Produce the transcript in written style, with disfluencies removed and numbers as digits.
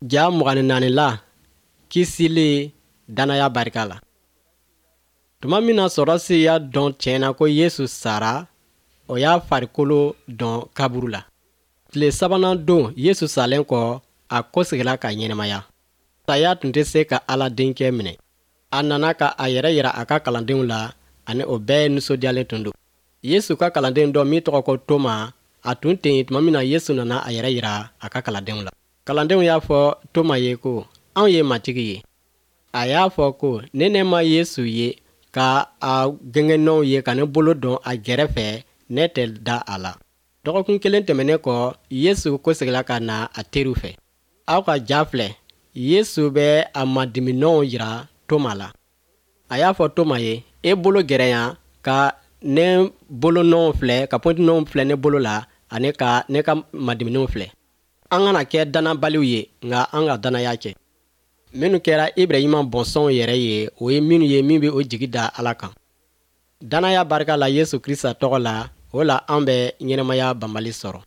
Ja 24 la kisili dannaya barika la. Tuma min na sɔrɔdasi y'a dɔn tiɲɛ na ko Yesu sara, o y'a farikolo dɔn kaburu la. Tile sabanan don Yesu salen kɔ, a kɔsegira ka ɲɛnamaya. Saya tun tɛ se ka Ala denkɛ minɛ. A nana ka a yɛrɛ yira a ka kalandenw la ani o bɛɛ nisɔndiyalen tun don. Yesu ka kalanden dɔ min tɔgɔ ko Toma, a tun tɛ yen tuma min na Yesu nana a yɛrɛ yira a ka kalandenw la. Kalandenw y'a fɔ Toma ye ko, Anw ye Matigi ye. A y'a fɔ ko, ni ne ma Yesu ye ka a gengenninw ye ka ne bolo don a gɛrɛfɛ, ne tɛ da a la. Dɔgɔkun kelen tɛmɛnen kɔ, Yesu kɔsegira ka na a teriw fɛ. Aw ka ja filɛ, Yesu bɛ a madiminɔw jira Toma la. A y'a fɔ Toma ye, e bolo gɛrɛ yan ka ne bolonɔw filɛ, ka pɔntinɔw filɛ ne bolo la ani ka ne ka madiminw filɛ. An kana kɛ dannabaliw ye, nka an ka dannaya kɛ. Minnu kɛra Ibrahima bɔnsɔnw yɛrɛ ye, o ye minnu ye min bɛ o jigi da Ala kan. Dannaya barika la Yesu Krista tɔgɔ la, o la an bɛ ɲɛnamaya banbali sɔrɔ.